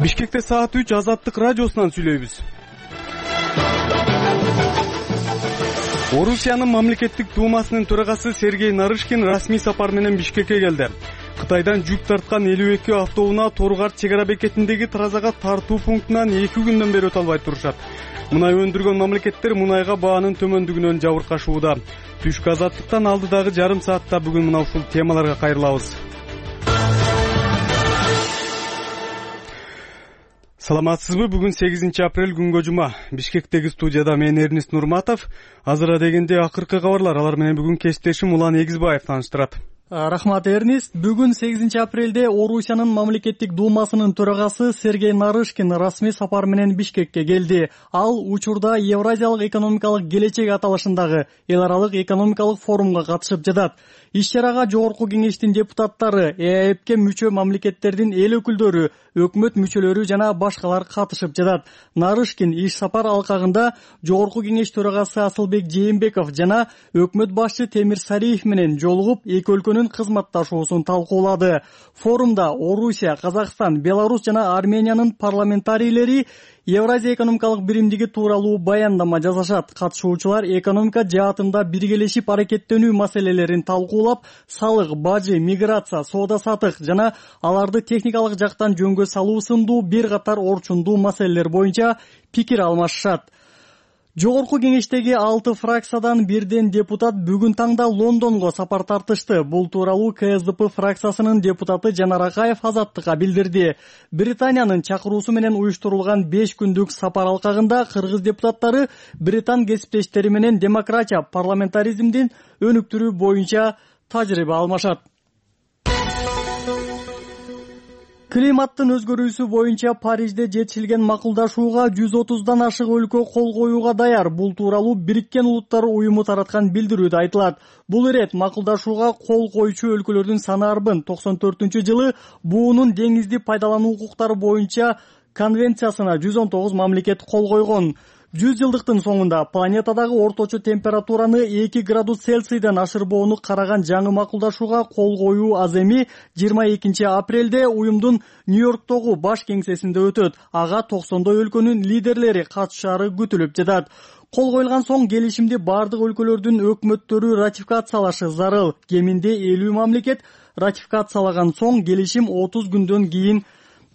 Бишкекте саат 3 Азаттык радиосунан сүйлөйбүз. Орусиянын мамлекеттик думасынын төрагасы Сергей Нарышкин расмий сапар менен Бишкекке келди. Кытайдан жүк тарткан 52 автоунаа Торгарт чек ара бекетиндеги таразага тартуу пунктунан 2 күндөн бери өтө албай турушат. Мунай өндүргөн мамлекеттер мунайга баанын төмөндүгүнөн жабыркашууда. Түшкү Азаттыктан алдыдагы жарым саатта бүгүн мына ушул темаларга кайрылабыз. Саламатсызбы? Бүгүн 8 апрель күнгө жума. Бишкектеги студияда мен Эрнист Нурматов. Азыр дегенде акыркы кабарлар, алар менен бүгүн кесиптешим Улан Эгизбаев тааныштырат. Рахмат, Эрнист. Бүгүн 8 апрелде Орусиянын мамлекеттик думасынын төрагасы Сергей Нарышкин расмий сапар менен Бишкекке келди. Ал учурда Евразиялык экономикалык келечек аталышындагы эл аралык экономикалык форумга катышып жатат. Иш-чарага жогорку кеңештин депутаттары, ЭАЭПке мүчө мамлекеттердин эл өкүлдөрү, өкмөт мүчөлөрү жана башкалар катышып жатат. Нарышкин иш сапар алкагында жогорку кеңеш төрагасы Асылбек Жээнбеков жана өкмөт башчы Темир Сариев менен жолугуп, эки өлкөнүн кызматташуусун талкуулады. Форумда Орусия, Казакстан, Беларусь жана Армениянын парламентарийлери Евразия экономикалык биримдиги тууралуу баяндама жасашат. Катышуучулар экономика жаатында биргелешип аракеттенүү маселелерин талкуулап, салык, бажы, миграция, соода-саттык жана аларды техникалык жактан жөнгө салуу сындуу бир катар орчундуу маселелер боюнча пикир алмашышат. Жогорку кеңештеги 6 фракциядан бирден депутат бүгүн таңда Лондонго сапар тартышты. Бул тууралуу КСДП фракциясынын депутаты Жанар Акаев Азаттыкка билдирди. Британиянын чакыруусу менен уюштурулган 5 күндүк сапар алкагында кыргыз депутаттары Британ кесиптештери менен демократия, парламентаризмдин өнүктүрүү боюнча тажрыйба алмашат. Климаттын өзгөрүүсү боюнча Парижде жетишилген макулдашууга 130дан ашык өлкө кол коюуга даяр. Бул тууралуу Бириккен Улуттар уюму тараткан билдирүүдө айтылат. Бул ирет макулдашууга кол коюучу өлкөлөрдүн саны арбын 94-жылы буунун деңизди пайдалануу укуктары боюнча конвенциясына 119 мамлекет кол койгон. 100 жылдыктын соңунда планетадагы орточо температураны 2 градус Цельсийден ашырбоону караган жаңы макулдашууга кол коюу аз эми 22 апрелде уюмдун Нью-Йорктогу баш кеңсесинде өтөт. Ага 90 өлкөнүн лидерлери катышаары күтүлүп жатат. Кол коюлган соң келишимди бардык өлкөлөрдүн өкмөттөрү ратификациялашы зарыл. Кеминде 50 мамлекет ратификациялаган соң келишим 30 күндөн кийин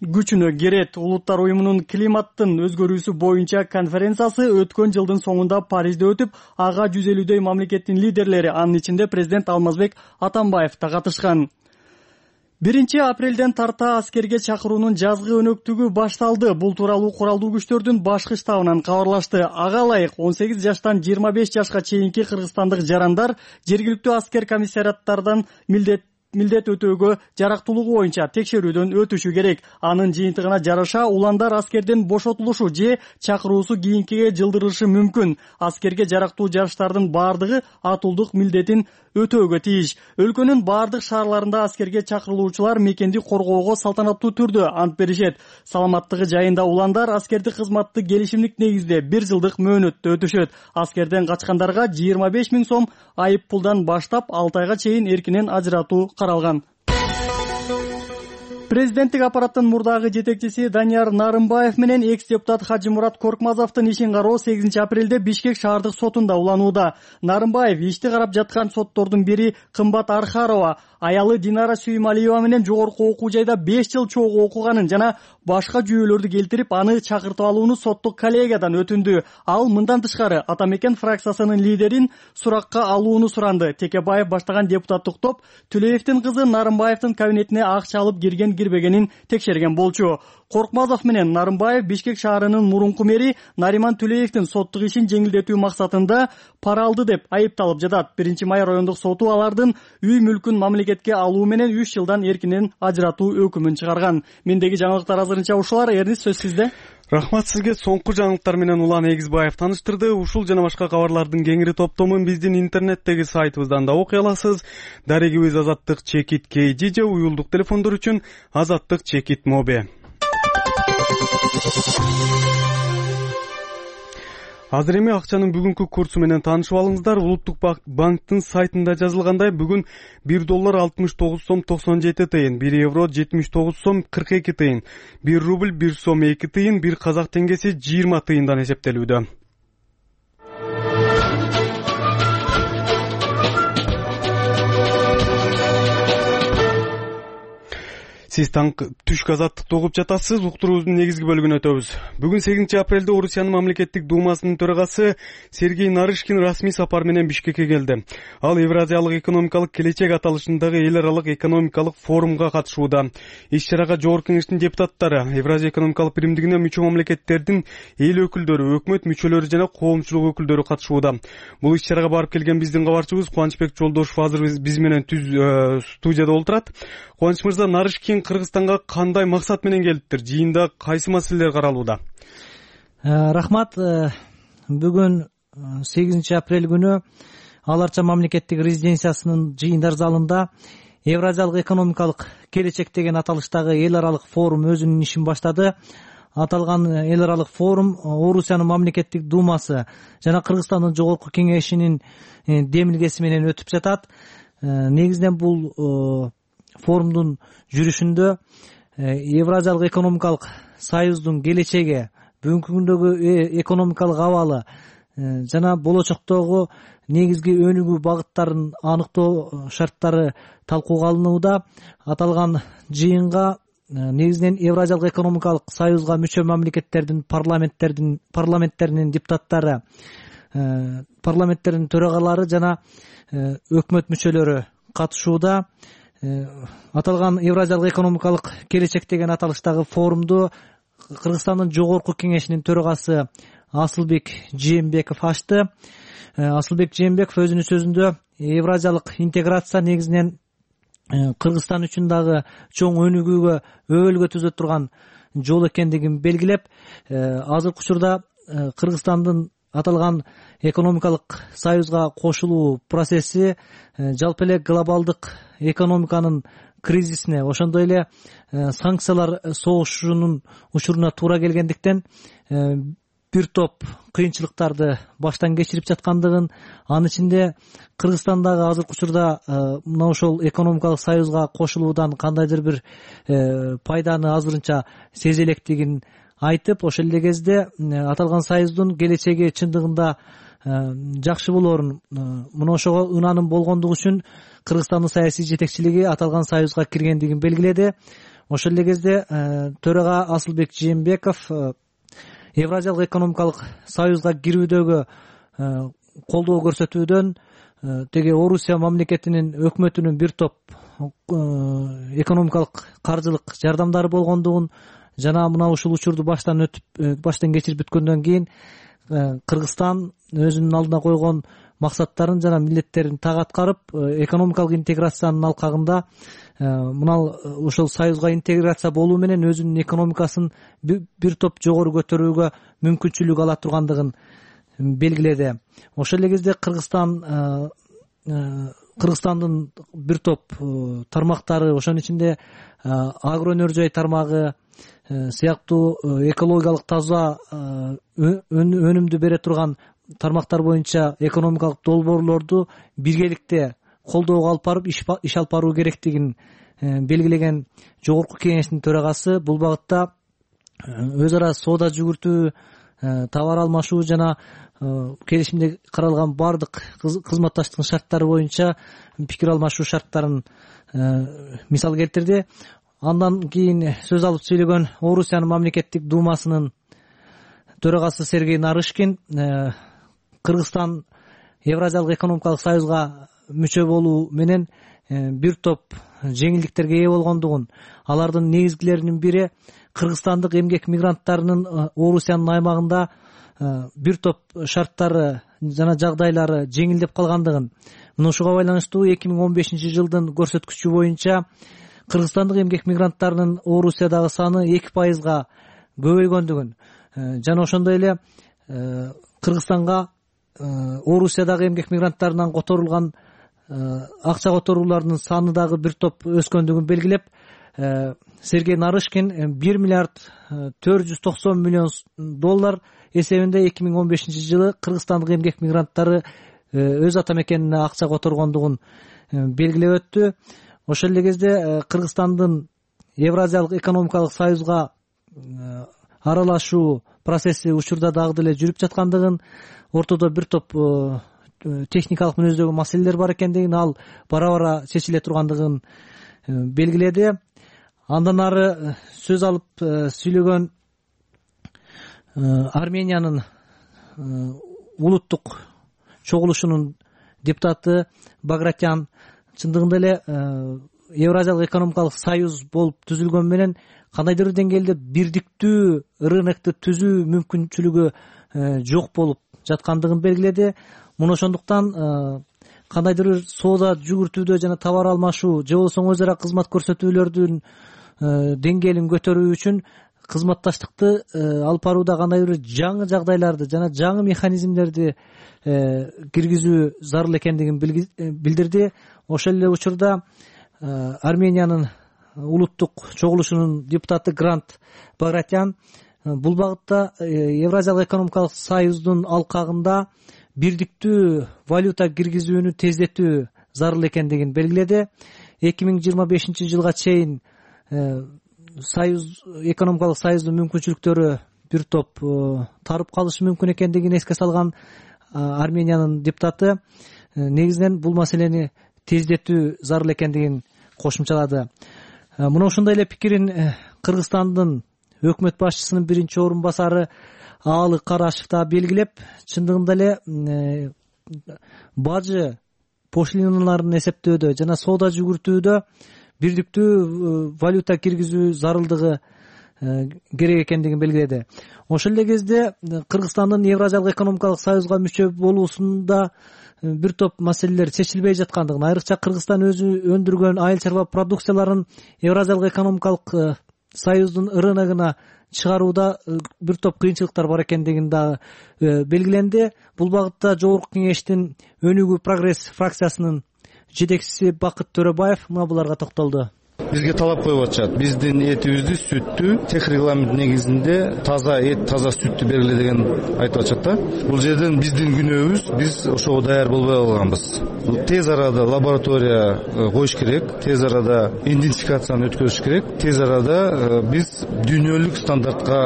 күчүнө кирет. Улуттар уюмунун климаттын өзгөрүүсү боюнча конференциясы өткөн жылдын соңунда Парижде өтүп, ага 150дөй мамлекеттин лидерлери, анын ичинде президент Алмазбек Атамбаев да катышкан. 1 апрелден тарта аскерге чакыруунун жазгы өнөктүгү башталды. Бул тууралуу куралдуу күчтөрдүн башкы штабынан кабарлашты. Ага ылайык 18 жаштан 25 жашка чейинки кыргызстандык жарандар жергиликтүү аскер комиссариаттардан милдет өтөөгө жарактуулугу боюнча текшерүүдөн өтүшү керек. Анын жыйынтыгына жараша уландар аскерден бошотулушу же чакыруусу кийинкиге жылдырылышы мүмкүн. Аскерге жарактуу жарыштардын бардыгы атуулдук милдетин өтөөгө тийиш. Өлкөнүн бардык шаарларында аскерге чакырылуучулар мекенди коргоого салтанаттуу түрдө ант беришет. Саламаттыгы жайында уландар аскердик кызматты келишимдик негизде 1 жылдык мөөнөттө өтүшөт. Аскерден качкандарга 25 000 сом айып пулдан баштап 6 айга чейин эркинен ажыратуу каралган. Президенттик аппараттын мурдагы жетекчиси Данияр Нарымбаев менен экс-депутат Хажимурат Коркмазовдун ишин кароо 8 апрелде Бишкек шаардык сотунда уланууда. Нарымбаев ишти карап жаткан соттордун бири Кымбат Архарова, аялы Динара Сүймалиева менен жогорку окуу жайда 5 жыл чогуу окуганын жана башка жүйөлөрдү келтирип, аны чакыртып алууну соттук коллегиядан өтүндү. Ал мындан тышкары Атамекен фракциясынын лидерин суракка алууну суранды. Текебаев баштаган депутаттык топ Түлеевдин кызы Нарымбаевдин кабинетине акча алып кирбегенин текшерген болчу. Коркмазов менен Нарымбаев Бишкек шаарынын мурунку мэри Нариман Түлеевдин соттук ишин жеңилдетүү максатында пара алды деп айыпталып жатат. 1 май райондук соту алардын үй мүлкүн мамлекетке алуу менен 3 жылдан эркинен ажыратуу өкүмүн чыгарган. Мендеги жаңылыктар азырынча ушулар. Эрнис, сөз сизде. Рахмат сизге. Соңку жаңылыктар менен Улан Эгизбаев тааныштырды. Ушул жана башка кабарлардын кеңири топтомун биздин интернеттеги сайтыбыздан да окуй аласыз. Дарегибиз azattik.kj же уюлдук телефондор үчүн azattik.mobi. Азыр эми акчанын бүгүнкү курсу менен таанышып алыңыздар. Улуттук банктын сайтында жазылгандай, бүгүн $1 69 сом 97 тыйын, €1 79 сом 42 тыйын, $1 1 сом 2 тыйын, 1 казак теңгеси 20 тыйындан эсептелүүдө. Сиз түшкү азаттыкты угуп жатасыз. Уктуруубуздун негизги бөлүгүнө өтөбүз. Бүгүн 8 апрелде Орусиянын мамлекеттик думасынын төрагасы Сергей Нарышкин расмий сапар менен Бишкекке келди. Ал Евразиялык экономикалык келечек аталышындагы эл аралык экономикалык форумга катышууда. Иш-чарага Жогорку Кеңештин депутаттары, Евразия экономикалык биримдигине мүчө мамлекеттердин эл өкүлдөрү, өкмөт мүчөлөрү жана коомчулук өкүлдөрү катышууда. Бул иш-чарага барып келген биздин кабарчыбыз Кубанычбек Жолдошев азыр биз менен студияда олтурат. Кубаныч мырза, Нарышкин Кыргызстанга кандай максат менен келиптир? Жыйында кайсы маселелер каралууда? Рахмат. Бүгүн 8 апрель күнү Ал Арча мамлекеттик резиденциясынын жыйындар залында Евразиялык экономикалык келечек деген аталыштагы эл аралык форум өзүнүн ишин баштады. Аталган эл аралык форум Орусиянын мамлекеттик думасы жана Кыргызстандын жогорку кеңешинин демилгеси менен өтүп жатат. Негизинен бул форумдун жүрүшүндө Евразиялык экономикалык союздун келечеги, бүгүнкү күндөгү экономикалык абалы жана болочоктогу негизги өнүгүү багыттарын аныктоо шарттары талкууга алынууда. Аталган жыйынга негизинен Евразиялык экономикалык союзга мүчө мамлекеттердин парламенттеринин депутаттары, парламенттердин төрагалары жана өкмөт мүчөлөрү катышууда. Аталган Евразиялык экономикалык келечек деген аталыштагы форумду Кыргызстандын жогорку кеңешинин төрагасы Асылбек Жээнбеков ачты. Асылбек Жээнбеков өзүнүн сөзүндө Евразиялык интеграция негизинен Кыргызстан үчүн дагы чоң өнүгүүгө, өбөлгө түзө турган жол экендигин белгилеп, азыркы учурда Кыргызстандын аталган экономикалык союзга кошулуу процесси жалпы эле глобалдык экономиканын кризисине, ошондой эле санкциялар согушунун учуруна туура келгендиктен бир топ кыйынчылыктарды баштан кечирип жаткандыгын, анын ичинде Кыргызстандагы азыркы учурда мына ошол экономикалык союзга кошулуудан кандайдыр бир пайданы азырынча сезе электигин айтып, ошол эле кезде аталган союздун келечеги чындыгында жакшы болоорун, мына ошого ынаным болгондугу үчүн Кыргызстандын саясий жетекчилиги аталган союзга киргендигин белгиледи. Ошол эле кезде төрага Асылбек Жээнбеков Евразиялык экономикалык союзга кирүүдөгү колдоо көрсөтүүдөн, теги Орусия мамлекетинин өкмөтүнүн бир топ экономикалык каржылык жардамдары болгондугун жана мына ушул учурду баштан кечирип бүткөндөн кийин Кыргызстан өзүнүн алдына койгон максаттарын жана милдеттерин так аткарып, экономикалык интеграциянын алкагында мына ошол союзга интеграция болуу менен өзүнүн экономикасын бир топ жогору көтөрүүгө мүмкүнчүлүк ала тургандыгын белгиледи. Ошол эле кезде Кыргызстандын бир топ тармактары, ошонун ичинде агро өнөр жай тармагы сыяктуу экологиялык таза өнүмдү бере турган тармактар боюнча экономикалык долбоорлорду биргеликте колдоого алып барып иш алып баруу керектигин белгилеген жогорку кеңештин төрагасы бул багытта өз ара соода жүгүртүү, товар алмашуу жана келишимде каралган бардык кызматташтыктын шарттары боюнча пикир алмашуу шарттарын мисал келтирди. Андан кийин сөз алып сүйлөгөн Орусиянын мамлекеттик думасынын төрагасы Сергей Нарышкин Кыргызстан Евразиялык экономикалык союзга мүчө болуу менен бир топ жеңилдиктерге ээ болгондугун, алардын негизгилеринин бири кыргызстандык эмгек мигранттарынын Орусиянын аймагында бир топ шарттары жана жагдайлары жеңилдеп калгандыгын, мына ушуга байланыштуу 2015 жылдын көрсөткүчү боюнча кыргызстандык эмгек мигранттарынын Орусиядагы саны 2%га көбөйгөндүгүн жана ошондой эле Кыргызстанга Орусиядагы эмгек мигранттарынан которулган акча которуулардын саны дагы бир топ өскөндүгүн белгилеп, Сергей Нарышкин $1 миллиард $490 миллион эсебинде 2015-жылы кыргызстандык эмгек мигранттары өз ата мекенине акча которгондугун белгилеп өттү. Ошол эле кезде Кыргызстандын Евразиялык экономикалык союзга аралашуу процесси учурда дагы деле жүрүп жаткандыгын, ортодо бир топ техникалык мүнөздөгү маселелер бар экендигин, ал бара-бара чечиле тургандыгын белгиледи. Андан ары сөз алып сүйлөгөн Армениянын улуттук чогулушунун депутаты Багратян чындыгында эле Евразиялык экономикалык союз болуп түзүлгөн менен кандайдыр бир деңгээлде бирдиктүү рынокту түзүү мүмкүнчүлүгү жок болуп жаткандыгын белгиледи. Муну ошондуктан кандайдыр бир соода жүгүртүүдө жана товар алмашуу же болбосо өз ара кызмат көрсөтүүлөрдүн деңгээлин көтөрүү үчүн кызматташтыкты алып барууда кандайдыр бир жаңы жагдайларды жана жаңы механизмдерди киргизүү зарыл экендигин билдирди. Ошол эле учурда Армениянын улуттук чогулушунун депутаты Грант Багратян бул багытта Евразиялык экономикалык союздун алкагында бирдиктүү валюта киргизүүнү тездетүү зарыл экендигин белгиледи. 2025-жылга чейин экономикалык союздун мүмкүнчүлүктөрү бир топ тарып калышы мүмкүн экендигин эске салган Армениянын депутаты негизинен бул маселени тездетүү зарыл экендигин кошумчалады. Мына ушундай эле пикирин Кыргызстандын өкмөт башчысынын биринчи орун басары Аалы Карашев да белгилеп, чындыгында эле бажы пошлиналарын эсептөөдө жана соода жүгүртүүдө бирдиктүү валюта киргизүү зарылдыгы керек экендигин белгиледи. Ошол эле кезде Кыргызстандын Евразиялык экономикалык союзга мүчө болуусунда бир топ маселелер чечилбей жаткандыгын, айрыкча Кыргызстан өзү өндүргөн айыл чарба продукцияларын Евразиялык экономикалык союздун рыногуна чыгарууда бир топ кыйынчылыктар бар экендигин дагы белгиленди. Бул багытта Жогорку Кеңештин Өнүгүү прогресс фракциясынын жетекчиси Бакыт Төрөбаев мына буларга токтолду. Бизге талап коюп атышат. Биздин этибизди, сүттү тех регламент негизинде таза эт, таза сүттү бергиле деген айтып атышат да. Бул жерден биздин күнөөбүз, биз ошого даяр болбой калганбыз. Тез арада лаборатория коюш керек, тез арада идентификацияны өткөрүш керек, тез арада биз дүйнөлүк стандартка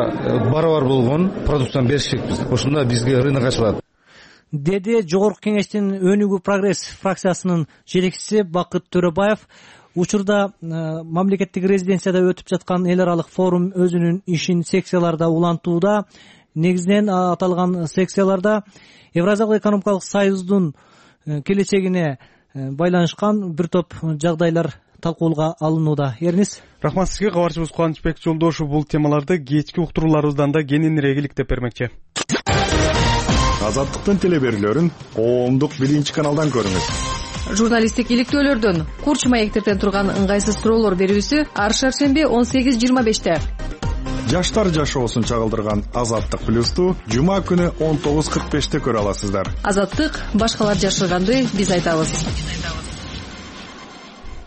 барабар болгон продукцияны бериш керекпиз. Ошондо бизге рынок ачылат, деди Жогорку Кеңештин Өнүгүү прогресс фракциясынын жетекчиси Бакыт Төрөбаев. Учурда мамлекеттик резиденцияда өтүп жаткан эл аралык форум өзүнүн ишин секцияларда улантууда. Негизинен аталган секцияларда Евразиялык экономикалык союздун келечегине байланышкан бир топ жагдайлар талкууга алынууда. Эрнис, рахмат сизге. Кабарчыбыз Кубанычбек Жолдошев бул темаларды кечки уктурууларыбыздан да кененирээк иликтеп бермекчи. Азаттыктын телеберүүлөрүн коомдук биринчи каналдан көрүңүз. Журналисттик иликтөөлөрдөн, курч маектерден турган ыңгайсыз суроолор берүүсү ар шаршемби 18:25. Жаштар жашоосун чагылдырган Азаттык плюсту жума күнү 19:45 көрө аласыздар. Азаттык башкалар жашырганды биз айтабыз.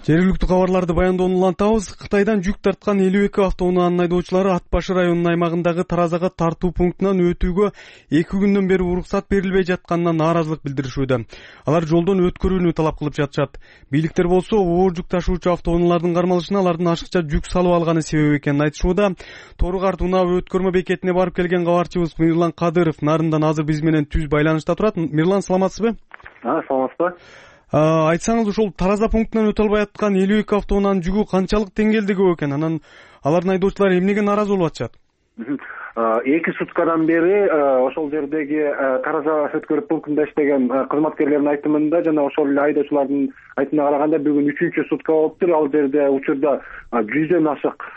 Жергиликтүү кабарларды баяндоону улантабыз. Кытайдан жүк тарткан 52 автоунаанын айдоочулары Ат башы районунун аймагындагы Таразага тартуу пунктунан өтүүгө 2 күндөн бери уруксат берилбей жатканына нааразылык билдиришүүдө. Алар жолдон өткөрүүнү талап кылып жатышат. Бийликтер болсо оор жүк ташуучу автоунаалардын кармалышына алардын ашыкча жүк салып алганы себеп экенин айтышууда. Тору-Карт унаа өткөрмө бекетине барып келген кабарчыбыз Мирлан Кадыров нарындан азыр биз менен түз байланышта турат. Мирлан, саламатсызбы? Саламатсызбы. Айтсаңыз, ушул Тараза пунктунан өтө албай аткан 52 автоунаанын жүгү канчалык деңгээлде көп экен? Анан алардын айдоочулары эмнеге нааразы болуп атышат? 2 суткадан бери ошол жердеги Тараза өткөрүү пунктунда иштеген кызматкерлердин айтымында жана ошол эле айдоочулардын айтымына караганда бүгүн 3-чү сутка болуптур. Ал жерде учурда 100дөн ашык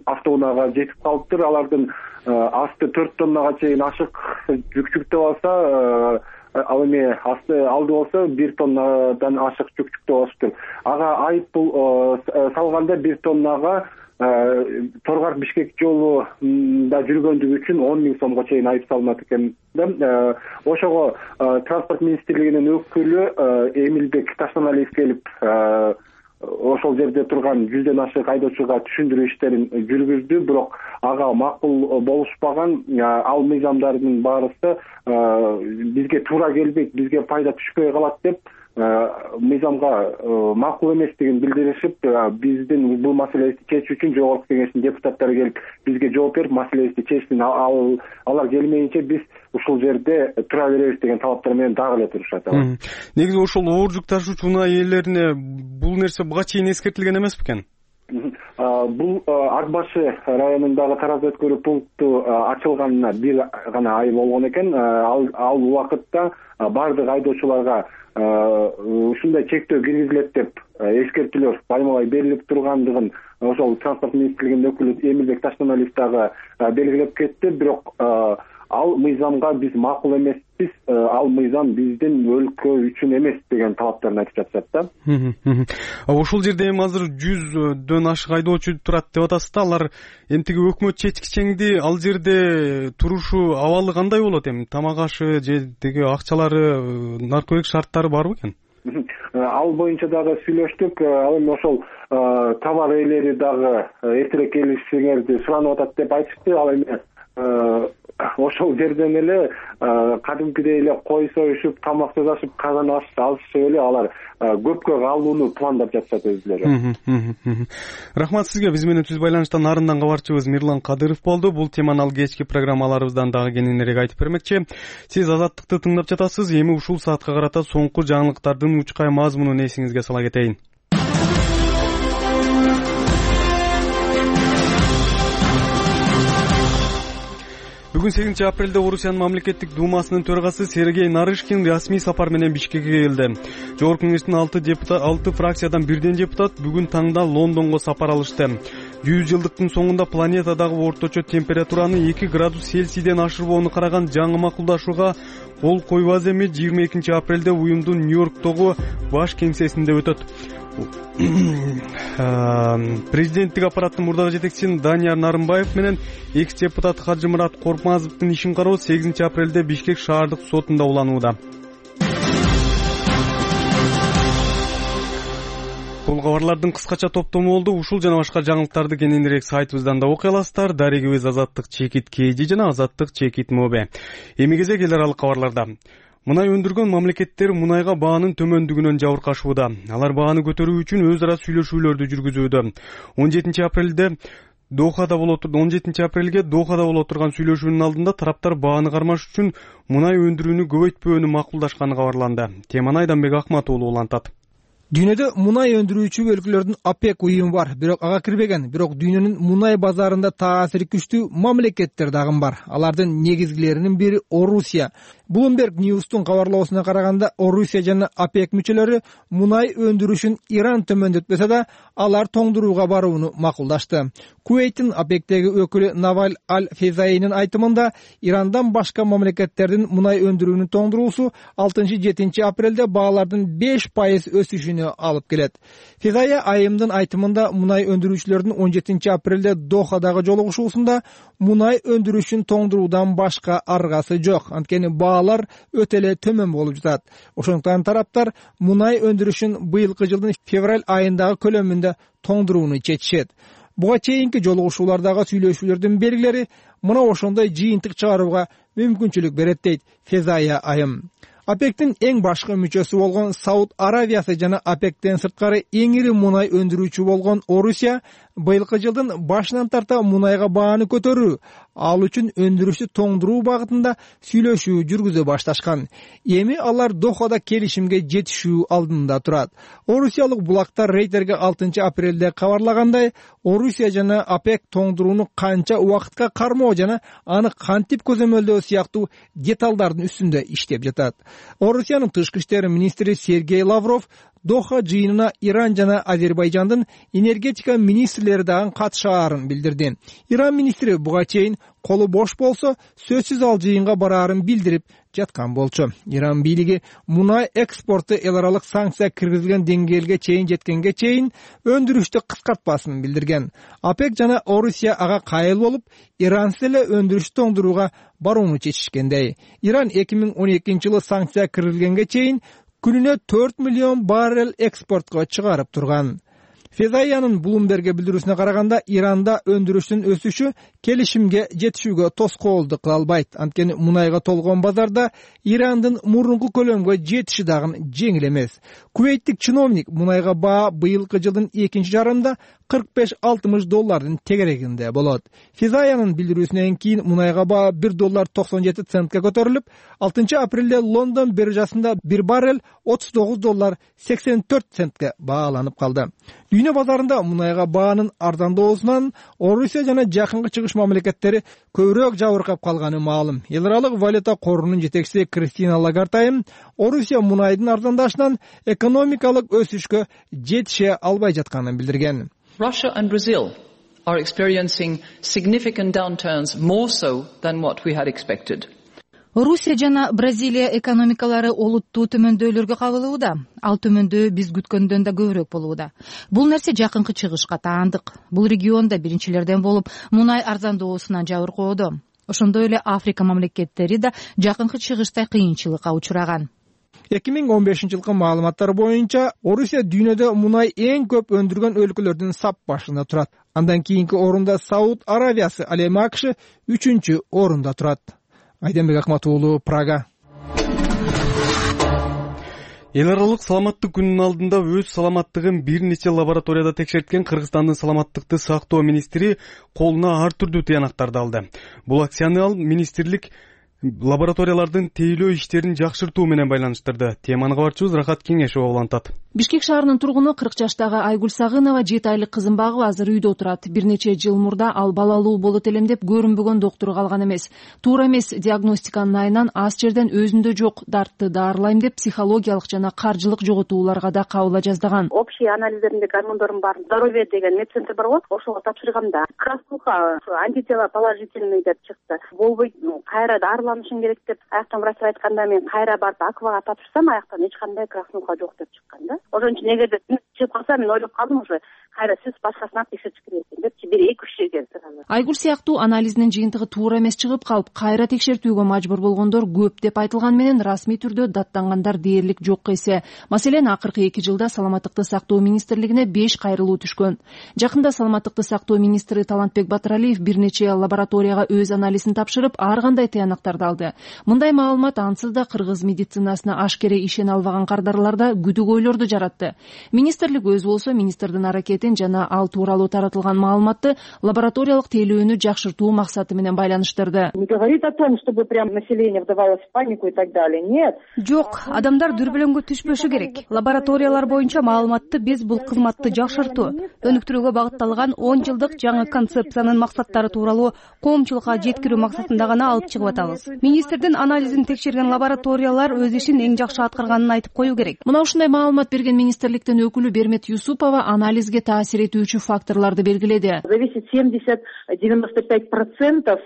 автоунаага жетип калыптыр. Алардын асты 4 тоннага чейин ашык жүк жүктөп алса, ал эми асты алды болсо 1 тоннадан ашык жүк жүктөп алыштыр. Ага айып бул салганда 1 тоннага Тору-Карт Бишкек жолунда жүргөндүгү үчүн 10 000 сомго чейин айып салынат экен. Ошого транспорт министрлигинин өкүлү Эмилбек Таштаналиев келип ошол жерде турган 100дөн ашык айдоочуга түшүндүрүү иштерин жүргүздү, бирок ага макул болушпаган. Ал мыйзамдардын баарысы бизге туура келбейт, бизге пайда түшпөй калат деп мыйзамга макул эместигин билдиришип, биздин бул маселебизди чечүү үчүн жогорку кеңештин депутаттары келип бизге жооп берип, маселебизди чечсин. Алар келмейинче биз ушул жерде тура беребиз деген талаптар менен дагы эле турушат. Негизи ошол оор жүк ташуучу унаа ээлерине бул нерсе буга чейин эскертилген эмес бекен? Бул Ак башы районундагы тараза өткөрүү пункту ачылганына бир гана ай болгон экен. Ал убакытта бардык айдоочуларга ушундай чектөө киргизилет деп эскертүүлөр баймалай берилип тургандыгын ошол транспорт министрлигинин өкүлү Эмилбек Таштаналиев дагы белгилеп кетти. Бирок ал мыйзамга биз макул эмеспиз, ал мыйзам биздин өлкө үчүн эмес деген талаптарын айтып жатышат да. Ошол жерде эми азыр 100дөн ашык айдоочу турат деп атасыз да, алар эмтиги өкмөт чечкичеңди ал жерде турушу абалы кандай болот эми? Тамак ашы же деги акчалары, наркотик шарттары барбы экен? Ал боюнча дагы сүйлөштүк. Ал эми ошол товар ээлери дагы эртерээк келишиңерди суранып атат деп айтышты. Ал эми ошол жерден эле кадимкидей эле кой союшуп, тамак жасашып, казан алышып эле алар көпкө калууну пландап жатышат өзүлөрү. Рахмат сизге. Биз менен түз байланыштан нарындан кабарчыбыз Мирлан Кадыров болду. Бул теманы ал кечки программаларыбыздан дагы кененирээк айтып бермекчи. Сиз Азаттыкты тыңдап жатасыз. Эми ушул саатка карата соңку жаңылыктардын учкай мазмунун эсиңизге сала кетейин. Бүгүн 8 апрелде Орусиянын мамлекеттик думасынын төрагасы Сергей Нарышкин расмий сапар менен Бишкекке келди. Жогорку кеңештин 6 фракциядан бирден депутат бүгүн таңда Лондонго сапар алышты. 100 жылдыктын соңунда планетадагы орточо температураны 2 градус Цельсийден ашырбоону караган жаңы макулдашууга кол койбас эми 22 апрелде уюмдун Нью-Йорктогу баш кеңсесинде өтөт. Президенттик аппараттын мурдагы жетекчиси Данияр Нарымбаев менен экс-депутат Хажымурат Коркмазовдун ишин кароо 8 апрелде Бишкек шаардык сотунда уланууда. Бул кабарлардын кыскача топтому болду. Ушул жана башка жаңылыктарды кененирээк сайтыбыздан да окуй аласыздар. Дарегибиз Азаттык чекит KG жана Азаттык чекит МОБ. Эми кезек эл аралык кабарларда. Мунай өндүргөн мамлекеттер мунайга баанын төмөндүгүнөн жабыркашууда. Алар бааны көтөрүү үчүн өз ара сүйлөшүүлөрдү жүргүзүүдө. 17 апрелге Дохада боло турган сүйлөшүүнүн алдында тараптар бааны кармаш үчүн мунай өндүрүүнү көбөйтпөөнү макулдашканы кабарланды. Теманы Айданбек Акмат уулу улантат. Дүйнөдө мунай өндүрүүчү өлкөлөрдүн ОПЕК уюму бар, бирок ага кирбеген. Бирок дүйнөнүн мунай базарында таасири күчтүү мамлекеттер дагы бар. Алардын негизгилеринин бири Орусия. Bloomberg News'тун кабарлоосуна караганда, Орусия жана ОПЕК мүчөлөрү мунай өндүрүшүн Иран төмөндөтпөсө да, алар тоңдурууга барууну макулдашты. Кувейттин ОПЕКтеги өкүлү Наваль Аль-Фезаинин айтымында, Ирандан башка мамлекеттердин мунай өндүрүүнүн тоңдуруусу 6-7 апрелде баалардын 5% өсүшүнө алып келет. Фезая айымдын айтымында, мунай өндүрүүчүлөрдүн 17 апрелде Дохадагы жолугушуусунда мунай өндүрүшүн тоңдуруудан башка аргасы жок. Анткени баалар өтө эле төмөн болуп жатат. Ошондуктан тараптар мунай өндүрүшүн быйылкы жылдын февраль айындагы көлөмүндө тоңдурууну чечишет. Буга чейинки жолугушуулардагы сүйлөшүүлөрдүн белгилери мына ошондой жыйынтык чыгарууга мүмкүнчүлүк берет дейт Фезая айым. ОПЕКтин эң башкы мүчөсү болгон Сауд Аравиясы жана ОПЕКтен сырткары эң ири мунай өндүрүүчү болгон Орусия быйылкы жылдын башынан тарта мунайга бааны көтөрүү, ал үчүн өндүрүштү тоңдуруу багытында сүйлөшүү жүргүзө башташкан. Эми алар Дохада келишимге жетишүү алдында турат. Орусиялык булактар Рейтерге 6 апрелде кабарлагандай, Орусия жана ОПЕК тоңдурууну канча убакытка кармоо жана аны кантип көзөмөлдөө сыяктуу деталдардын үстүндө иштеп жатат. Орусиянын тышкы иштер министри Сергей Лавров Доха жыйынына Иран жана Азербайжандын энергетика министрлери дагы катышаарын билдирди. Иран министри буга чейин колу бош болсо, сөзсүз ал жыйынга бараарын билдирип жаткан болчу. Иран бийлиги мунай экспорту эл аралык санкция киргизилген деңгээлге чейин жеткенге чейин өндүрүштү кыскартпасын билдирген. ОПЕК жана Орусия ага кайыл болуп, Ирансыз эле өндүрүштү тоңдурууга барууну чечишкендей. Иран 2012 жылы санкция киргизилгенге чейин күнүнө 4 миллион баррель экспортко чыгарып турган. Фезаянын Bloomberg'e билдирүүсүнө караганда, Иранда өндүрүштүн өсүшү келишимге жетишүүгө тоскоолдук кыла албайт. Анткени мунайга толгон базарда Ирандын мурунку көлөмгө жетиши дагы жеңил эмес. Кувейттик чиновник мунайга баа быйылкы жылдын экинчи жарымында $45-60 тегерегинде болот. Фезаянын билдирүүсүнөн кийин мунайга баа $1.97 көтөрүлүп, 6-апрелде Лондон биржасында bir баррель $39.84 бааланып калды. Дүйнө базарында мунайга баанын арзандоосунан Орусия жана жакынкы чыгыш мамлекеттери көбүрөөк жабыркап калганы маалым. Эл аралык валюта корунун жетекчиси Кристина Лагард айым Орусия мунайдын арзандашынан экономикалык өсүшкө жетише албай жатканын билдирген. Russia and Brazil are experiencing significant downturns, more so than what we had expected. Орусия жана Бразилия экономикалары олуттуу төмөндөөлөргө кабылууда. Ал төмөндөө биз күткөндөн да көбүрөөк болууда. Бул нерсе жакынкы чыгышка таандык. Бул регионда биринчилерден болуп, мунай арзандоосунан жабыркоодо. Ошондой эле Африка мамлекеттери да жакынкы чыгышта кыйынчылыкка учураган. 2015-жылкы маалыматтар боюнча Орусия дүйнөдө мунай эң көп өндүргөн өлкөлөрдүн сап башында турат. Андан кийинки орунда Сауд Аравиясы, ал эми АКШ 3-орунда турат. Айденбек Акмат уулу, Прага. Эл аралык саламаттык күнүнүн алдында өз саламаттыгын бир нече лабораторияда текшерткен Кыргызстандын саламаттыкты сактоо министри колуна ар түрдүү тыянактарды алды. Бул акцияны ал министрлик лабораториялардын тейлөө иштерин жакшыртуу менен байланыштырды. Теманы кабарчыбыз Рахат Кеңешова улантат. Бишкек шаарынын тургуну 40 жаштагы Айгүл Сагынова 7 айлык кызын багып азыр үйдө отурат. Бир нече жыл мурда ал балалуу болот элем деп көрүнбөгөн доктуру калган эмес. Туура эмес диагностиканын айынан аз жерден өзүндө жок дартты даарылайм деп психологиялык жана каржылык жоготууларга да кабыла жаздаган. Общий анализдеринде гормондордун баарын здоровье деген медцентр бар болот, ошого тапшырганда краснуха антитела положительный деп чыкты. Болбойт, кайра дарыланышың керек деп аяктан врач айтканда мен кайра барып аквага тапшырсам аяктан эч кандай краснуха жок деп чыккан да. Ошон үчүн эгерде чыгып калса мен ойлоп калдым уже кайра сиз башкасынан текшертиш керек экен депчи бир 2-3 жерден сразу. Айгүл сыяктуу анализинин жыйынтыгы туура эмес чыгып калып кайра текшертүүгө мажбур болгондор көп деп айтылган менен расмий түрдө даттангандар дээрлик жок эсе. Маселен, акыркы 2 жылда саламаттыкты сактоо министрлигине 5 кайрылуу түшкөн. Жакында саламаттыкты сактоо министри Талантбек Батыралиев бир нече лабораторияга өз анализин тапшырып, ар кандай тыянактарды алды. Мындай маалымат ансыз да кыргыз медицинасына ашкере ишене албаган кардарларда күдүк ойлорду жаратты. Министрлик өзү болсо министрдин аракетин жана ал тууралуу таратылган маалыматты лабораториялык тейлөөнү жакшыртуу максаты менен байланыштырды. Не говорит о том, чтобы прям население вдавалось в панику и так далее. Нет. Жок, адамдар дүрбөлөңгө түшпөшү керек. Лабораториялар боюнча маалыматты биз бул кызматты жакшыртуу, өнүктүрүүгө багытталган 10 жылдык жаңы концепциянын максаттары тууралуу коомчулукка жеткирүү максатында гана алып чыгып атабыз. Министрдин анализин текшерген лабораториялар өз ишин эң жакшы аткарганын айтып кою керек. Мына ушундай маалымат берген министрликтин өкүлү Бермет Юсупова анализге таасир этүүчү факторлорду белгиледи. Зависит 70-95%.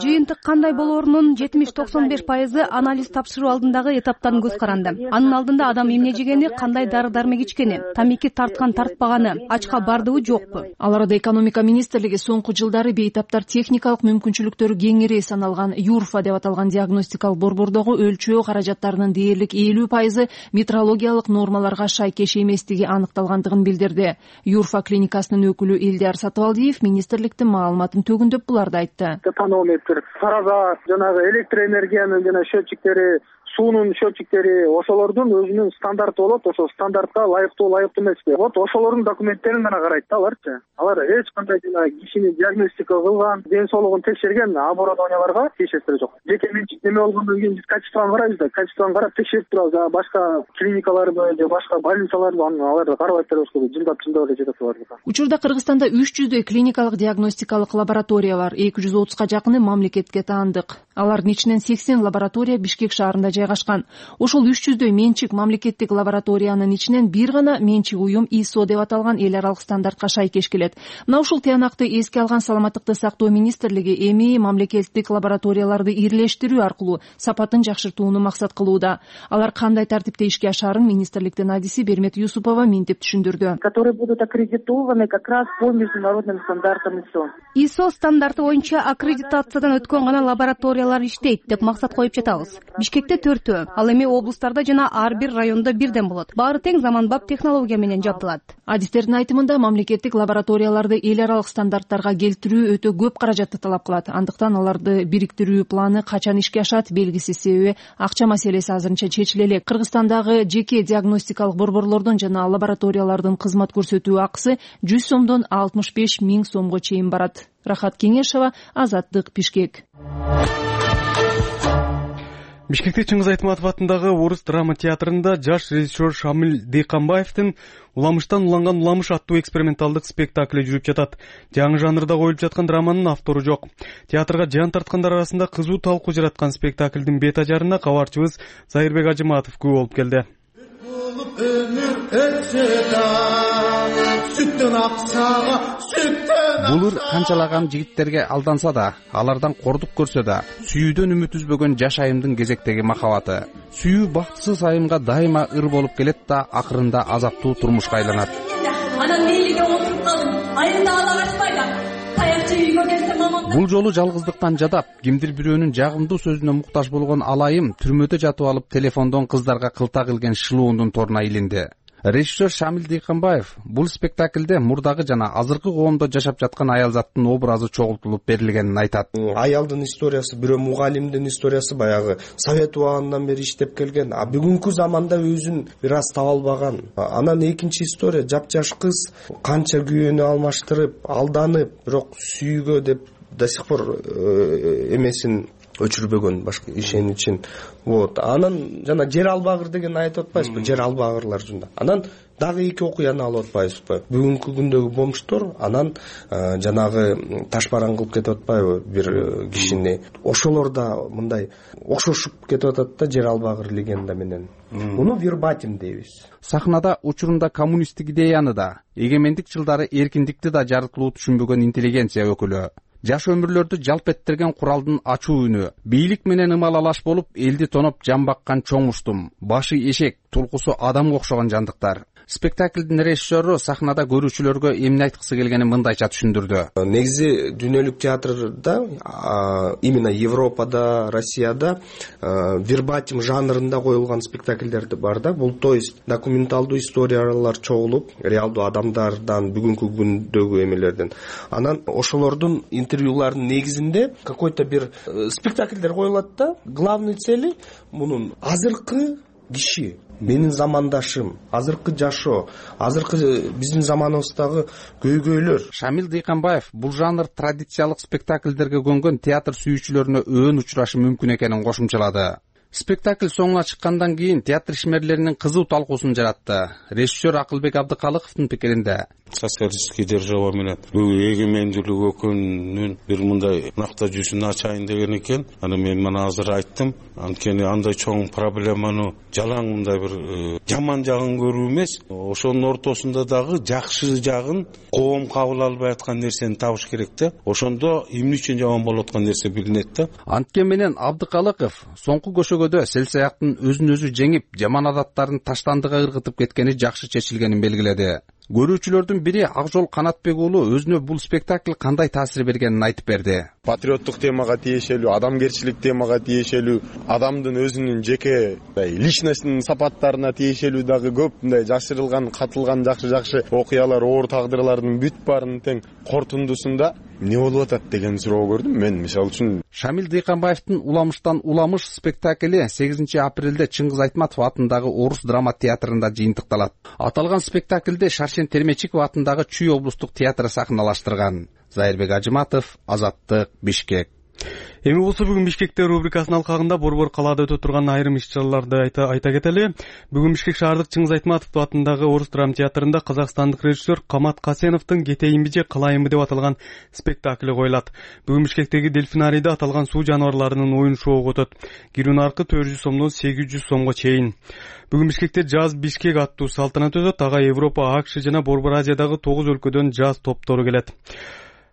Жыйынтык кандай болоорунун 70-95% анализ тапшыруу алдындагы этаптан көз каранды. Анын алдында адам эмне жегени, кандай дары-дармек ичкени, тамеки тарткан тартпаганы, ачка бардыбы жокпу. Ал арада экономика министрлиги соңку жылдары бейтаптар техникалык мүмкүнчүлүктөрү кеңири саналган ЮРФА деп аталган диагностикалык борбордогу өлчөө каражаттарынын дээрлик 50% метрологиялык нормаларга шайкеш эместиги аныкталгандыгын билдирди. ЮРФА клиникасынын өкүлү Элдияр Сатыбалдиев министрликтин маалыматын төгүндөп буларды айтты. Тонометр, тараза, жанагы электроэнергиянын жана счетчиктери, суунун счетчиктери, ошолордун өзүнүн стандарты болот, ошол стандартка ылайыктуу эмеспи. Вот ошолордун документтерин гана карайт да аларчы. Алар эч кандай кишини диагностика кылган, ден соолугун текшерген оборудованияларга тиешеси жок. Жеке менчик неме болгондон кийин биз качествону карайбыз да, качествону карап текшерип турабыз. Башка клиникаларбы же башка больницаларбы аларды карабай турабыз, жындап эле жетет алар. Учурда Кыргызстанда 300дөй клиникалык диагностикалык лаборатория бар, 230га жакыны мамлекетке таандык. Алардын ичинен 80 лаборатория Бишкек шаарында жайгашкан. Ошол 300дөй менчик мамлекеттик лабораториянын ичинен бир гана менчик уюм ISO деп аталган эл аралык стандартка шайкеш келет. Мына ушул тыянакты эске алган саламаттыкты сактоо министрлиги эми мамлекеттик лабораторияларды ирлештирүү аркылуу сапатын жакшыртууну максат кылууда. Алар кандай тартипте ишке ашаарын министрликтин адиси Бермет Юсупова мынтип түшүндүрдү. Которые будут аккредитованы как раз по международным стандартам ISO. ISO стандарты боюнча аккредитациядан өткөн гана лабораториялар иштейт деп максат коюп жатабыз. Бишкекте 4 ал эми облустарда жана ар бир райондо бирден болот. Баары тең заманбап технология менен жабдылат. Адистердин айтымында мамлекеттик лабораторияларды эл аралык стандарттарга келтирүү өтө көп каражатты талап кылат. Андыктан аларды бириктирүү планы качан ишке ашат белгисиз, себеби акча маселеси азырынча чечиле элек. Кыргызстандагы жеке диагностикалык борборлордун жана лабораториялардын кызмат көрсөтүү акысы 100 сомдон 65 000 сомго чейин барат. Рахат Кеңешова, Азаттык, Бишкек. Бишкекте Чыңгыз Айтматов атындагы Орус драма театрында жаш режиссер Шамил Дейканбаевдин «Уламыштан уланган уламыш» аттуу эксперименталдык спектакли жүрүп жатат. Жаңы жанрда коюлуп жаткан драманын автору жок. Театрга жан тарткандар арасында кызуу талкуу жараткан спектаклдин бет ажарына кабарчыбыз Зайырбек Ажыматов күбө болуп келди. Булур канчалаган жигиттерге алданса да, алардан кордук көрсө да, сүйүүдөн үмүт үзбөгөн жаш айымдын кезектеги махабаты. Сүйүү бактысыз айымга дайыма ыр болуп келет да, акырында азаптуу турмушка айланат. Анан мейлиге отуруп калдым. Айымда ала качпайда. Таякчы үйгө келсем мамам. Бул жолу жалгыздыктан жадап, кимдир бирөөнүн жагымдуу сөзүнө муктаж болгон алайым түрмөдө жатып алып телефондон кыздарга кылта килген шылуундун торуна илинди. Режиссер Шамил Дейканбаев бул спектаклде мурдагы жана азыркы коомдо жашап жаткан аялзаттын образы чогултулуп берилгенин айтат. Аялдын историясы, бирөө мугалимдин историясы баягы совет убагынан бери иштеп келген, а бүгүнкү заманда өзүн бир аз таба албаган. Анан экинчи история жапжаш кыз канча күйөөнү алмаштырып, алданып, бирок сүйүүгө деп до сих пор эмесин өчүрбөгөн, башка ишеничин. Вот. Анан жана жер албагыр деген айтып атпайсызбы? Жер албагырлар жөнүндө. Анан дагы эки окуяны алып атпайсызбы? Бүгүнкү күндөгү бомжтор анан жанагы ташбаран кылып кетип атпайбы бир кишини? Ошолор да мындай окшошуп кетип атат да жер албагыр легенда менен. Муну вербатим дейбиз. Сахнада учурунда коммунисттик идеяны да, эгемендик жылдары эркиндикти да жарыктылуу түшүнбөгөн интеллигенция өкүлү. Жаш өмүрлөрдү жалп эттерген куралдын ачуу үнү, бийлик менен ымалалаш болуп, элди тоноп жан баккан чоң уштум, башы эшек, тулкусу адамга окшогон жандыктар. Спектаклдин режиссеру сахнада көрүүчүлөргө эмне айткысы келгенин мындайча түшүндүрдү. Негизи дүйнөлүк театрда, именно Европада, Россияда вербатим жанрында коюлган спектакльдер бар да. Бул то есть документалдуу историялар чогулуп, реалдуу адамдардан, бүгүнкү күндөгү эмелерден. Анан ошолордун интервьюларынын негизинде какой-то бир спектакльдер коюлат да. Главный цели мунун азыркы киши, менин замандашым, азыркы жашоо, азыркы биздин заманыбыздагы көйгөйлөр. Шамил Дейканбаев бул жанр традициялык спектакльдерге көнгөн театр сүйүүчүлөрүнө өөн учурашы мүмкүн экенин кошумчалады. Спектакль соңуна чыккандан кийин театр ишмерлеринин кызуу талкуусун жаратты. Режиссер Акылбек Абдыкалыковдун пикиринде социалисттик держава менен бүгүн эгемендүүлүк өкүнүн бир мындай накта жүзүн ачайын деген экен. Аны мен мына азыр айттым. Анткени андай чоң проблеманы жалаң мындай бир жаман жагын көрүү эмес, ошонун ортосунда дагы жакшы жагын коом кабыл албай аткан нерсени табыш керек да. Ошондо эмне үчүн жаман болуп аткан нерсе билинет да. Анткени менен Абдыкалыков соңку көшөгөдө селсаяктын өзүн өзү жеңип, жаман адаттарын таштандыга ыргытып кеткени жакшы чечилгенин белгиледи. Көрүүчүлөрдүн бири Акжол Канатбек уулу өзүнө бул спектакль кандай таасир бергенин айтып берди. Патриоттук темага тиешелүү, адамгерчилик темага тиешелүү, адамдын өзүнүн жеке личностьтин сапаттарына тиешелүү дагы көп мындай жашырылган, катылган жакшы окуялар, оор тагдырлардын бүт баарын тең кортундусунда эмне болуп атат деген суроо көрдүм мен, мисалы үчүн. Шамил Дейканбаевдин «Уламыштан уламыш» спектакли 8 апрелде Чыңгыз Айтматов атындагы Орус драма театрында жыйынтыкталат. Аталган спектакльде Шаршен Термечиков атындагы Чүй облустук театры сахналаштырган. Зайырбек Ажыматов, Азаттык, Бишкек. Эми болсо бүгүн Бишкекте рубрикасынын алкагында борбор калаада өтө турган айрым иш-чараларды айта кетели. Бүгүн Бишкек шаардык Чыңгыз Айтматов атындагы Орус драма театрында казакстандык режиссер Камат Касеновдун «Кетейинби же калайынбы» деп аталган спектакли коюлат. Бүгүн Бишкектеги дельфинарийде аталган суу жаныбарларынын оюн шоугу өтөт. Кирүү наркы 400 сомдон 800 сомго чейин. Бүгүн Бишкекте Jazz Бишкек аттуу салтанат өтөт. Ага Европа, АКШ жана Борбор Азиядагы 9 өлкөдөн жаз топтору келет.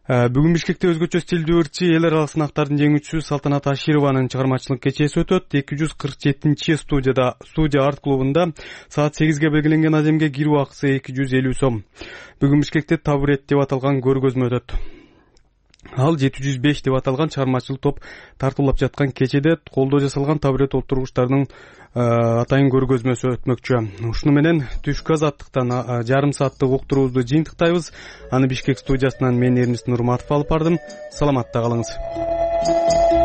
Бүгүн Бишкекте өзгөчө стилдүү ырчы эл аралык сынактардын жеңүүчүсү Салтанат Ашированын чыгармачылык кечеси өтөт. 247 студия арт клубунда саат 8ге белгиленген аземге кирүү акысы 250 сом. Бүгүн Бишкекте табурет деп аталган көргөзмө өтөт. Ал 705 деп аталган чыгармачылык топ тартуулап жаткан кечеде колдо жасалган табурет отургучтардын атайын көргөзмөсү өтмөкчү. Ушуну менен түшкү азаттыктан жарым сааттык уктуруубузду жыйынтыктайбыз. Аны Бишкек студиясынан мен Эрнис Нурматов алып бардым. Саламатта калыңыз.